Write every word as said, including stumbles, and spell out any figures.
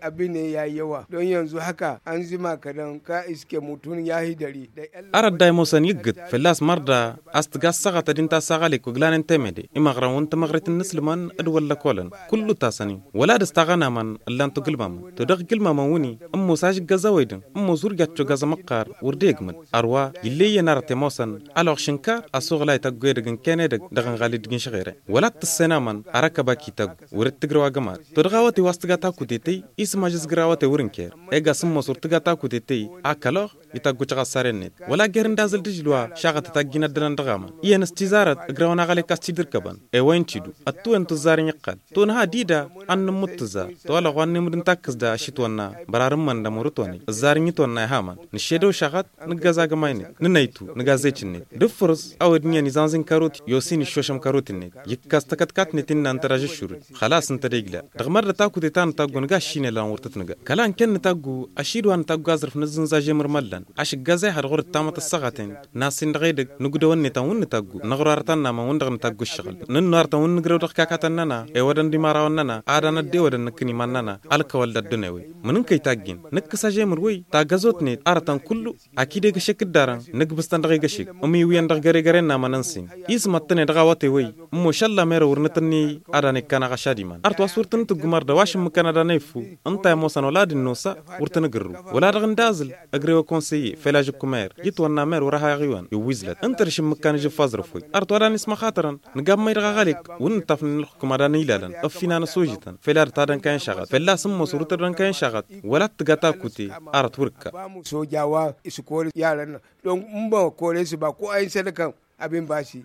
Abine ya-i i-wa don yanzu haka anzima kădăn ka iske mutun ya hidări. Arăt da imosăn iggǝd fălla-s mărda a-s tǝga ăssaɣătăd inta s-aɣălek wăglanen temede imăɣrăn wăn tamăɣrit n-inǝslǝmăn d-wălla kolăn. Kullu tasăn-in wăla dăɣ-s taɣănamăn ǝllan-t ugǝlmamăn todăɣ gǝlmamăn wǝnni ămoos ažǝggăz a-wedǝn ămoos wăr jaččo gaz ămăqqar wăr d-egmǝd. Ărwa ill'-e iyyăn arăt i-ămoosăn ălɣăš n-kar asuɣǝl a ităggu edăgg n-ken edăgg dăɣ-inɣal d-igǝnšăɣ ere wăla t-tǝssenamăn. Arăkăb a k-ităggu wăr-dd-tǝgrăw agămar todăɣ awăte wa s-tǝga takutete isǝmaj s-gǝr awăte wăr-ǝnker. Ega s-ămoos wăr tǝga takutete a kăloɣ ităggu căɣassaren-net wăla jer-ǝndazǝl d-ažǝl wa šaɣătăt a ǝjjǝyăn ăddănăn dăɣ-amăn iyyăn s-tizarăt ǝgrăwăn aɣălek a-s t-dd-ǝrkăbăn. I-wa intidu ăttuwen tǝzzar n-iqqăl tonăha dida. Ad-nǝmmut tǝzzar tolăɣ wa n-nemǝd n-takkǝs da ašitwănna bărarǝmmăn d-amurǝtwăne ǝzzar n-itwănna ihamăn nǝššedăw šaɣăt nǝggăz agămay-net nǝnăytu nǝgazec-net d-ǝffǝrǝs. A-wa dd-iyyăn izanzin kărot i-osin iššošăm kărot-net ikkas takătkatnet innă ǝnta d-ažǝššurǝd. Xălas ǝnta d-egla dăɣ-mărdăt akute ta n-taggu nǝga aššinel a n-wăr tăt-nǝga kăla n-kănn n-taggu ašid wa n-taggu aẓrǝf n-azǝnza žemǝr măllan. Ašǝggaz a iha dăɣ-wăr dd-tamăt ăssaɣăten n-asin dăɣ-edăgg nǝgdăwăn-net a n-wǝnn-taggu năɣrarăt ănnamăn wǝnn-dăɣ n-taggu ǝššăɣǝl nǝnnu arătăn wǝnn-nǝgrăw dăɣ-kakatăn-nănăɣ ewădăn d-imărawăn-nănăɣ ad-anăt d-ewădăn nǝkkǝn iman-nănăɣ. Ălkăwăl d-ăddunewăy mǝnǝnkăy taggin nǝkkǝs ažemǝr wăy tagăzot-net arătăn kullu. Akid egăšek dd-arăn nǝkbǝs-tăn dăɣ-egăšek ǝmiwǝyăn dăɣ-găregăre n-amăn n-sin ismăḍtăn-e dăɣ-awăte wăy. Ǝmmošalla merăw wăr nǝtǝnney ad-anăy-kănăɣ ašad iman arăt wa s-wăr tăn-tǝggum ardăw ašǝmmǝkăn ad-anăy ǝffu. Ǝnta i-ămoosăn wăla d-ănnosa wăr tăn-ǝgǝrrǝw wăla dăɣ-ǝndazǝl. Ǝgrew ăkonseye făl ažǝkku mer itwănna mer wăr-ăha iɣiwan iwwizlăt ǝnta d-ašǝmmǝkăn ažǝffazrăf wăy. Arăt wa d-anăy s-măxatărăn nǝga ămmăy dăɣ-aɣălek wǝnn-ǝttafnen ălxǝkǝm ad-anăy ilalăn ăffinan ăsožităn făl ad-tadănkayăn šaɣăt fălla-s ǝmmos wăr tădănkayăn šaɣăt. Wăla t-tǝga takute arăt wǝr-ǝkka. Soja wa s-kol i-alăn-năɣ don n-bănăkole s-ba ko a hin-sădăkăn. Abin basi.